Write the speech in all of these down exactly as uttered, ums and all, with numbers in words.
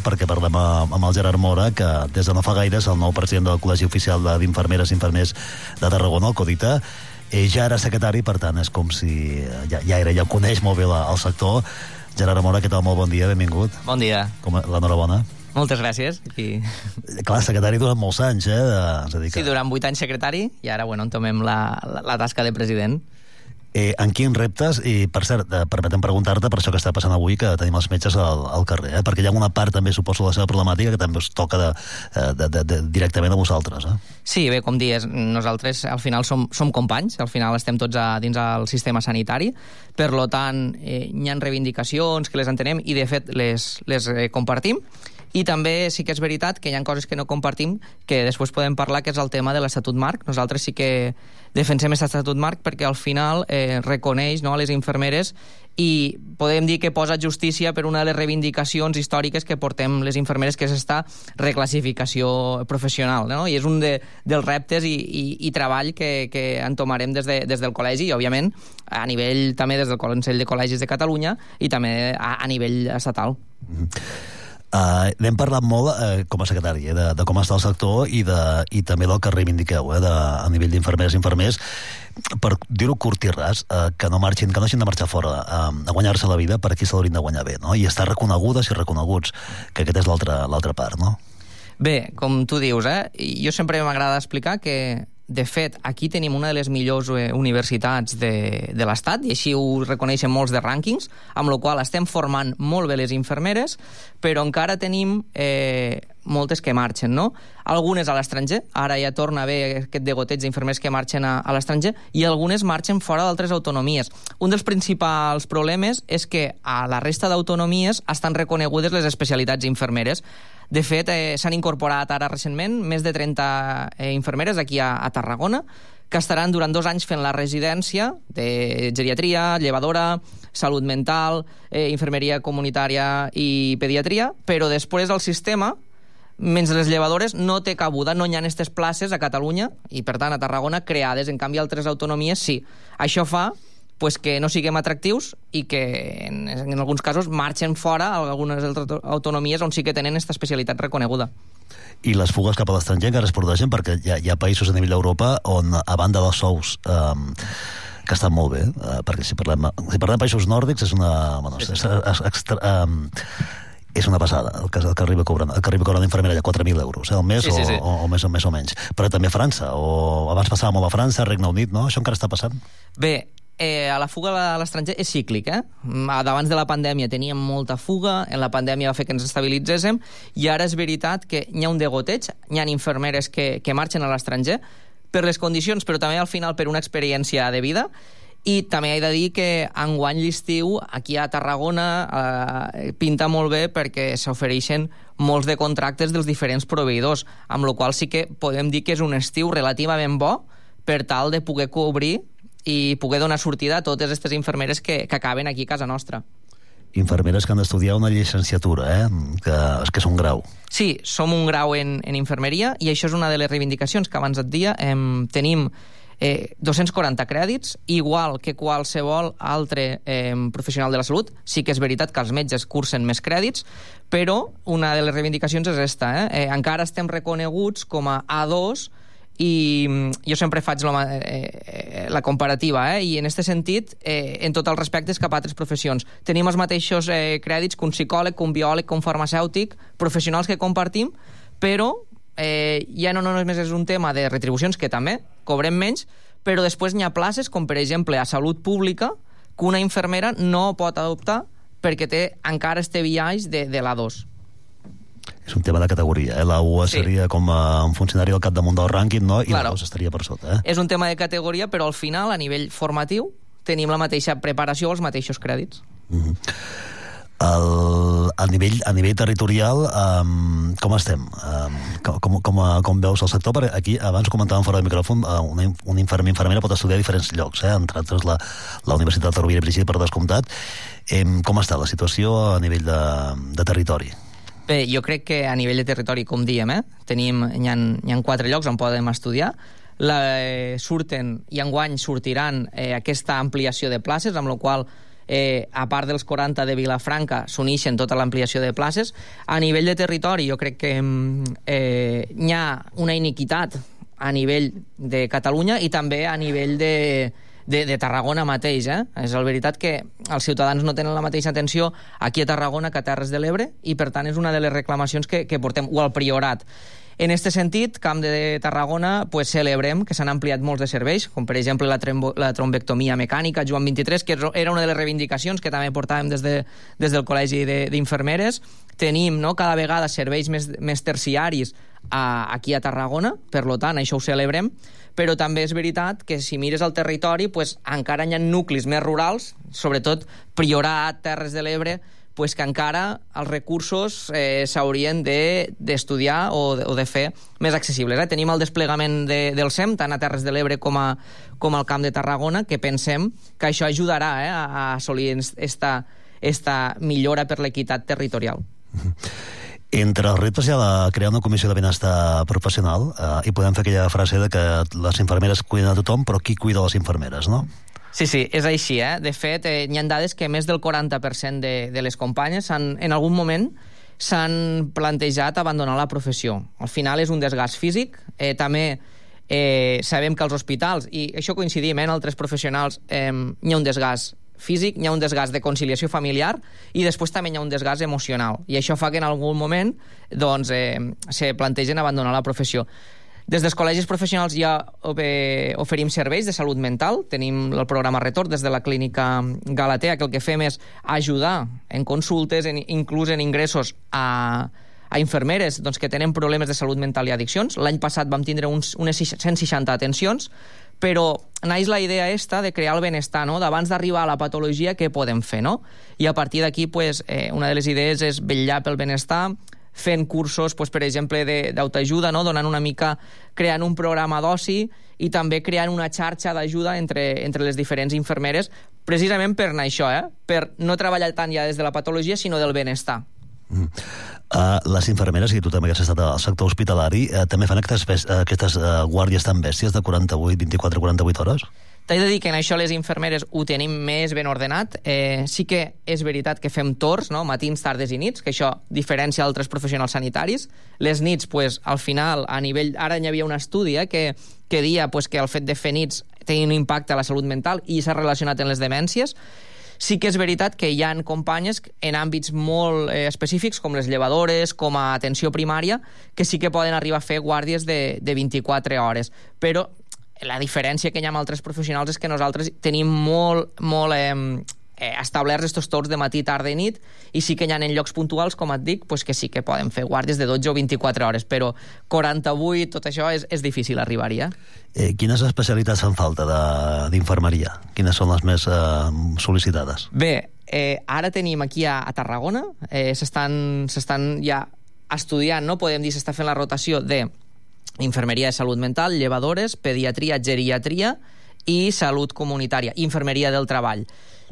perquè parlem amb el Gerard Mora, que des de no fa gaire és el nou president del Col·legi Oficial d'Infermeres i Infermers de Tarragona, el CODITA. Ell ja era secretari, per tant, és com si ja, ja era, ja coneix molt bé la, el sector. Gerard Mora, què tal? Molt bon dia, benvingut. Bon dia. Com, l'enhorabona. Moltes gràcies. I... Clar, secretari durant molts anys, eh? De, és a dir que... Sí, durant vuit anys secretari, i ara, bueno, entomem la, la, la tasca de president. Eh, en quins reptes, i per cert, eh, permetem preguntar-te per això que està passant avui, que tenim els metges al, al carrer, eh? Perquè hi ha una part també, suposo, de la seva problemàtica que també us toca de, de, de, de, directament a vosaltres. Eh? Sí, bé, com dius, nosaltres al final som, som companys, al final estem tots a, dins del sistema sanitari, per lo tant, eh, hi ha reivindicacions que les entenem i, de fet, les, les eh, compartim. I també sí que és veritat que hi ha coses que no compartim, que després podem parlar, que és el tema de l'Estatut Marc. Nosaltres sí que defensem aquest Estatut Marc perquè al final eh, reconeix, no, a les infermeres, i podem dir que posa justícia per una de les reivindicacions històriques que portem les infermeres, que és esta reclassificació professional, no? I és un de, dels reptes i, i, i treball que, que entomarem des, de, des del col·legi, i òbviament a nivell també des del Consell de Col·legis de Catalunya i també a, a nivell estatal. Mm-hmm. Uh, n'hem parlat molt uh, com a secretari eh, de, de com està el sector i, de, i també del que reivindiqueu eh, de, a nivell d'infermeres i infermers, per dir-ho curt i ras, uh, que no marxin, que no hagin de marxar fora uh, a guanyar-se la vida per aquí se l'haurien de guanyar bé, no? I estar reconegudes i reconeguts, que aquest és l'altra l'altra part, no? Bé, com tu dius, eh? Jo sempre m'agrada explicar que, de fet, aquí tenim una de les millors eh, universitats de, de l'Estat, i així ho reconeixen molts de rànquings, amb la qual estem formant molt bé les infermeres, però encara tenim eh, moltes que marxen, no? Algunes a l'estranger, ara ja torna a haver aquest degoteig d'infermers que marxen a, a l'estranger, i algunes marxen fora d'altres autonomies. Un dels principals problemes és que a la resta d'autonomies estan reconegudes les especialitats infermeres. De fet, eh, s'han incorporat ara recentment més de trenta eh, infermeres aquí a, a Tarragona, que estaran durant dos anys fent la residència de geriatria, llevadora, salut mental, eh, infermeria comunitària i pediatria, però després el sistema, menys les llevadores, no té cabuda, no hi ha aquestes places a Catalunya i, per tant, a Tarragona creades. En canvi, altres autonomies sí. Això fa pues, que no siguem atractius i que en, en alguns casos marxen fora a algunes altres autonomies on sí que tenen aquesta especialitat reconeguda. I les fugues cap a l'estranger encara es produeixen perquè hi ha, hi ha països a nivell d'Europa on, a banda dels sous um, que estan molt bé, uh, perquè si parlem, si parlem de països nòrdics és una... Bueno, és, és, extra, um, és una passada, el que, el que arriba cobrant, el que arriba cobrant d'infermera ja quatre mil euros eh, al mes, sí, sí, sí. O, o, o, més, o més o menys. Però també a França, o abans passava molt a França, Regne Unit, no? Això encara està passant? Bé, Eh, a la fuga a l'estranger és cíclic, eh? Abans de la pandèmia teníem molta fuga, en la pandèmia va fer que ens estabilitzéssim, i ara és veritat que hi ha un degoteig, hi ha infermeres que, que marxen a l'estranger per les condicions, però també al final per una experiència de vida. I també he de dir que enguany l'estiu aquí a Tarragona eh, pinta molt bé perquè s'ofereixen molts de contractes dels diferents proveïdors, amb la qual sí que podem dir que és un estiu relativament bo per tal de poder cobrir i poder donar sortida a totes aquestes infermeres que, que acaben aquí a casa nostra. Infermeres que han d'estudiar una llicenciatura, eh? que, que és un grau. Sí, som un grau en, en infermeria, i això és una de les reivindicacions que abans et dia. Em, tenim eh, dos-cents quaranta crèdits, igual que qualsevol altre eh, professional de la salut. Sí que és veritat que els metges cursen més crèdits, però una de les reivindicacions és esta. Eh? Eh, encara estem reconeguts com a A dos, i jo sempre faig la, eh, la comparativa, eh? I en aquest sentit, eh, en tots els respectes cap a altres professions. Tenim els mateixos eh, crèdits que un psicòleg, que un biòleg, que un farmacèutic, professionals que compartim, però eh, ja no només és un tema de retribucions, que també cobrem menys, però després n'hi ha places, com per exemple a salut pública, que una infermera no pot adoptar perquè té encara este biaix de, de l'A dos. És un tema de categoria, eh? L'A u sí. Seria com a un funcionari al capdamunt del rànquing, no? I claro. L'A dos estaria per sota, eh? És un tema de categoria, però al final, a nivell formatiu, tenim la mateixa preparació, els mateixos crèdits. Mm-hmm. El, a, nivell, a nivell territorial, um, com estem? Um, com, com, com veus el sector? Perquè aquí, abans comentàvem fora del micròfon, una, una infermer, infermera pot estudiar a diferents llocs, eh? Entre altres la, la Universitat de Rovira i Virgili, per descomptat. Eh, com està la situació a nivell de, de territori? Bé, jo crec que a nivell de territori, com diem, eh, tenim, hi ha, hi ha quatre llocs on podem estudiar. La, eh, surten, i enguany sortiran eh, aquesta ampliació de places, amb la qual eh, a part dels quaranta de Vilafranca, s'uneixen tota l'ampliació de places. A nivell de territori, jo crec que eh, hi ha una iniquitat a nivell de Catalunya i també a nivell de, de, de Tarragona mateix. Eh? És la veritat que els ciutadans no tenen la mateixa atenció aquí a Tarragona que a Terres de l'Ebre i, per tant, és una de les reclamacions que, que portem, o al Priorat. En aquest sentit, Camp de Tarragona, pues, celebrem que s'han ampliat molts de serveis, com per exemple la, la trombectomia mecànica, Joan vint-i-tres, que era una de les reivindicacions que també portàvem des, de, des del Col·legi d'Infermeres. Tenim, no, cada vegada serveis més, més terciaris a, aquí a Tarragona, per tant, això ho celebrem, però també és veritat que si mires el territori, pues, encara hi ha nuclis més rurals, sobretot Priorat, Terres de l'Ebre, pues que encara els recursos eh, s'haurien d'estudiar de, o, de, o de fer més accessibles. Eh? Tenim el desplegament de, del S E M, tant a Terres de l'Ebre com, a, com al Camp de Tarragona, que pensem que això ajudarà eh, a assolir esta, esta millora per l'equitat territorial. Entre els reptes hi ha de crear una comissió de benestar professional eh, i podem fer aquella frase de que les infermeres cuiden a tothom, però qui cuida les infermeres, no? Sí, sí, és així, eh? De fet, eh, hi ha dades que més del quaranta per cent de, de les companyes en algun moment s'han plantejat abandonar la professió. Al final és un desgast físic, eh, també eh, sabem que als hospitals, i això coincidim eh, en altres professionals, eh, hi ha un desgast físic, hi ha un desgast de conciliació familiar i després també hi ha un desgast emocional. I això fa que en algun moment doncs, eh, se plantegen abandonar la professió. Des dels col·legis professionals ja oferim serveis de salut mental. Tenim el programa Retorn des de la clínica Galatea, que el que fem és ajudar en consultes, en, inclús en ingressos a, a infermeres doncs, que tenen problemes de salut mental i addiccions. L'any passat vam tindre uns, unes cent seixanta atencions, però naix la idea esta de crear el benestar, no? D'abans d'arribar a la patologia, què podem fer, no? I a partir d'aquí, pues, eh, una de les idees és vetllar pel benestar, fent cursos, pues, per exemple, d'autoajuda, no? Donant una mica, creant un programa d'oci i també creant una xarxa d'ajuda entre, entre les diferents infermeres, precisament per anar això, eh? Per no treballar tant ja des de la patologia, sinó del benestar. Mm. Uh, les infermeres, i tu també que has estat al sector hospitalari, uh, també fan aquestes, uh, aquestes uh, guàrdies tan bèsties de quaranta-vuit, vint-i-quatre a quaranta-vuit hores? T'he de dir que en això les infermeres ho tenim més ben ordenat. Eh, sí que és veritat que fem torns, no? Matins, tardes i nits, que això diferencia altres professionals sanitaris. Les nits, pues, al final, a nivell... Ara hi havia un estudi eh, que, que dia pues, que el fet de fer nits tenia un impacte a la salut mental i s'ha relacionat amb les demències. Sí que és veritat que hi ha companyes en àmbits molt eh, específics, com les llevadores, com a atenció primària, que sí que poden arribar a fer guàrdies de, de vint-i-quatre hores. Però la diferència que hi ha amb altres professionals és que nosaltres tenim molt, molt eh, eh, establerts estos torns de matí, tarda i nit, i sí que hi ha en llocs puntuals, com et dic, pues que sí que poden fer guàrdies de dotze o vint-i-quatre hores, però quaranta-vuit, tot això és, és difícil arribar-hi. Eh? Eh, quines especialitats fan falta d'infermeria? Quines són les més eh, sol·licitades? Bé, eh, ara tenim aquí a, a Tarragona, eh, s'estan ja estudiant, no? Podem dir, s'està fent la rotació de infermeria de salut mental, llevadores, pediatria, geriatria i salut comunitària, infermeria del treball.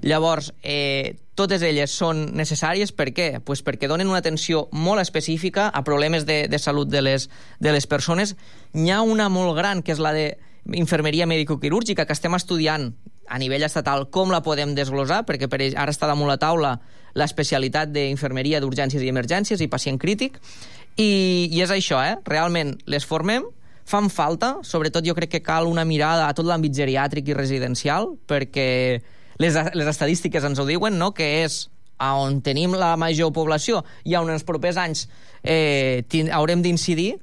Llavors, eh, totes elles són necessàries, per què? Pues perquè donen una atenció molt específica a problemes de, de salut de les, de les persones. N'hi ha una molt gran, que és la de infermeria mèdico-quirúrgica, que estem estudiant a nivell estatal com la podem desglosar, perquè per ara està damunt la taula l'especialitat d'infermeria d'urgències i emergències i pacient crític, I, i és això, eh? Realment les formem, fan falta, sobretot jo crec que cal una mirada a tot l'àmbit geriàtric i residencial, perquè les, les estadístiques ens ho diuen, no? Que és on tenim la major població i on en els propers anys eh, haurem d'incidir,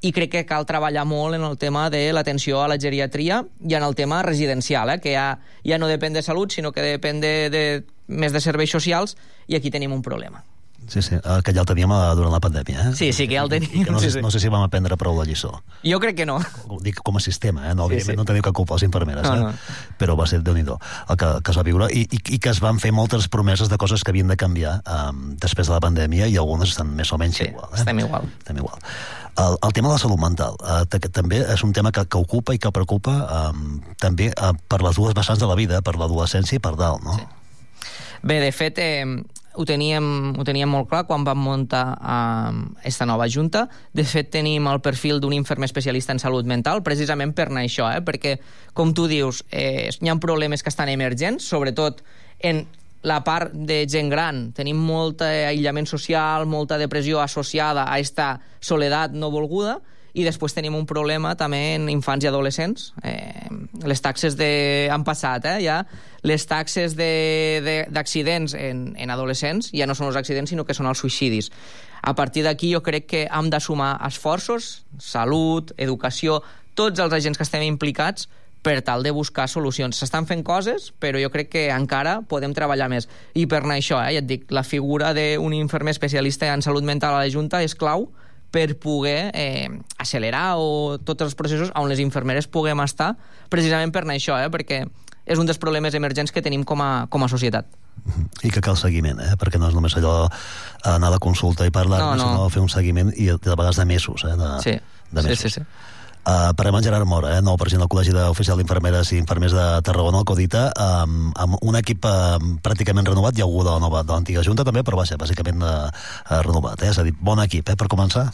i crec que cal treballar molt en el tema de l'atenció a la geriatria i en el tema residencial, eh? Que ja, ja no depèn de salut, sinó que depèn de, de, més de serveis socials, i aquí tenim un problema. Sí, sí, que ja el teníem durant la pandèmia, eh? Sí, sí, que ja el teníem. No sé, sí, sí. no sé si vam aprendre prou la lliçó. Jo crec que no. Dic com a sistema, eh? No, sí, sí. No teniu cap culpa les infermeres, no, eh? no. Però va ser Déu-n'hi-do el que, que es va viure, i, i, i que es van fer moltes promeses de coses que havien de canviar um, després de la pandèmia, i algunes estan més o menys sí, igual. Eh? estem igual. Estem igual. El, el tema de la salut mental uh, també és un tema que, que ocupa i que preocupa um, també uh, per les dues vessants de la vida, per l'adolescència i per dalt, no? Sí. Bé, de fet, eh, ho teníem, ho teníem molt clar quan vam muntar eh, esta nova junta. De fet, tenim el perfil d'un infermer especialista en salut mental, precisament per anar això, eh? Perquè, com tu dius, eh, hi ha problemes que estan emergents, sobretot en la part de gent gran. Tenim molt aïllament social, molta depressió associada a esta soledat no volguda, i després tenim un problema també en infants i adolescents. Eh, les taxes de... han passat, eh, ja. Les taxes d'accidents en, en adolescents ja no són els accidents, sinó que són els suïcidis. A partir d'aquí jo crec que hem de sumar esforços, salut, educació, tots els agents que estem implicats per tal de buscar solucions. S'estan fent coses, però jo crec que encara podem treballar més. I per anar això, eh, ja et dic, la figura d'un infermer especialista en salut mental a la Junta és clau per poder eh, accelerar o tots els processos on les infermeres puguem estar, precisament per anar això, eh, perquè és un dels problemes emergents que tenim com a, com a societat. I que cal seguiment, eh? Perquè no és només allò anar a la consulta i parlar, no, no. sinó fer un seguiment i de vegades de mesos. Eh? De, sí. de mesos. sí, sí, sí. Uh, parlem amb Gerard Mora, eh, nou president del Col·legi d'Oficial d'Infermeres i Infermers de Tarragona, el CODITA, um, amb un equip uh, pràcticament renovat. Hi ha algú de l'antiga Junta també, però va ser bàsicament uh, uh, renovat. Eh? És a dir, bon equip, eh, per començar.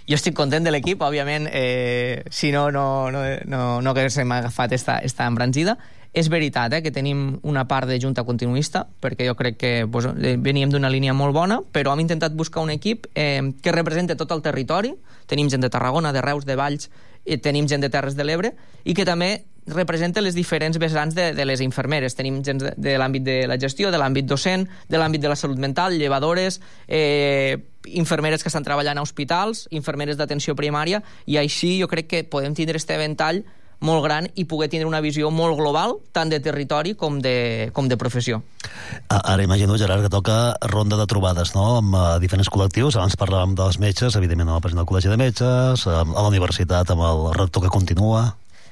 Jo estic content de l'equip, òbviament, eh, si no, no, no, no, no haguéssim agafat esta, esta embranzida. És veritat eh, que tenim una part de junta continuista, perquè jo crec que pues, veníem d'una línia molt bona, però hem intentat buscar un equip eh, que represente tot el territori. Tenim gent de Tarragona, de Reus, de Valls, i tenim gent de Terres de l'Ebre, i que també representa les diferents vessants de, de les infermeres. Tenim gent de, de l'àmbit de la gestió, de l'àmbit docent, de l'àmbit de la salut mental, llevadores, eh, infermeres que estan treballant a hospitals, infermeres d'atenció primària, i així jo crec que podem tindre este ventall molt gran i poder tindre una visió molt global, tant de territori com de, com de professió. Ara imagino, Gerard, que toca ronda de trobades, no?, amb uh, diferents col·lectius. Abans parlàvem dels metges, evidentment amb el president del Col·legi de Metges, a la universitat amb el rector que continua.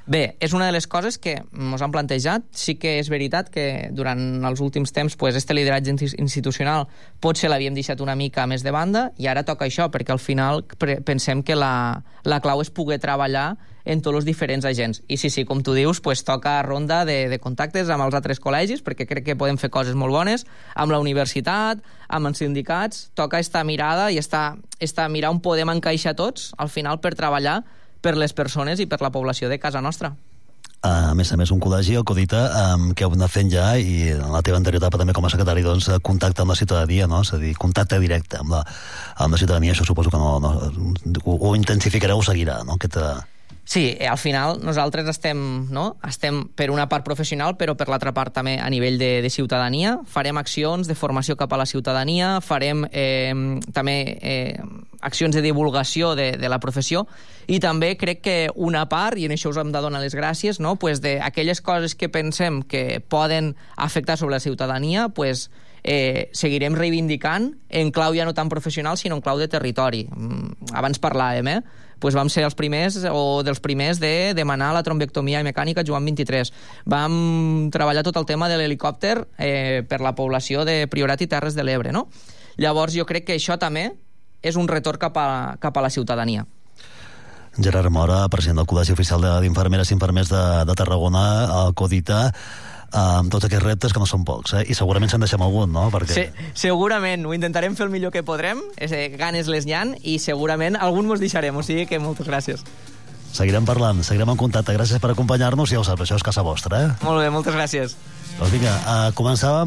Bé, és una de les coses que ens han plantejat. Sí que és veritat que durant els últims temps pues, este lideratge institucional potser l'havíem deixat una mica més de banda, i ara toca això, perquè al final pensem que la, la clau és poder treballar en tots els diferents agents. I sí, sí, com tu dius, pues, toca ronda de, de contactes amb els altres col·legis, perquè crec que podem fer coses molt bones, amb la universitat, amb els sindicats. Toca esta mirada i esta, esta mirar on podem encaixar tots, al final, per treballar per les persones i per la població de casa nostra. A més a més, un col·legi, el CODITA, um, que heu anat fent ja, i en la teva anterior etapa també com a secretari, doncs, contacte amb la ciutadania, no? És a dir, contacte directe amb la, amb la ciutadania. Això suposo que no, no, ho, ho intensificareu o seguirà, no? Aquest, uh... Sí, al final nosaltres estem, no? estem per una part professional, però per l'altra part també a nivell de, de ciutadania. Farem accions de formació cap a la ciutadania, farem eh, també eh, accions de divulgació de, de la professió, i també crec que una part, i en això us hem de donar les gràcies, no? pues d'aquelles coses que pensem que poden afectar sobre la ciutadania, pues, eh, seguirem reivindicant en clau ja no tan professional, sinó en clau de territori. Abans parlàvem, eh? Pues vam ser els primers o dels primers de demanar la trombectomia mecànica Joan vint-i-tres. Vam treballar tot el tema de l'helicòpter eh, per la població de Priorat i Terres de l'Ebre, no? Llavors jo crec que això també és un retorn cap a, cap a la ciutadania. Gerard Mora, president del Col·legi Oficial d'Infermeres i Infermers de, de Tarragona, el CODITA, amb tots aquests reptes que no són pocs, eh? I segurament se'n deixem algun, no? Perquè... Sí, segurament, ho intentarem fer el millor que podrem, eh, ganes les n'hi ha, i segurament algun mos deixarem, o sigui que moltes gràcies. Seguirem parlant, seguirem en contacte. Gràcies per acompanyar-nos, i ja ho saps, això és casa vostra, eh? Molt bé, moltes gràcies. Doncs vinga, uh, començàvem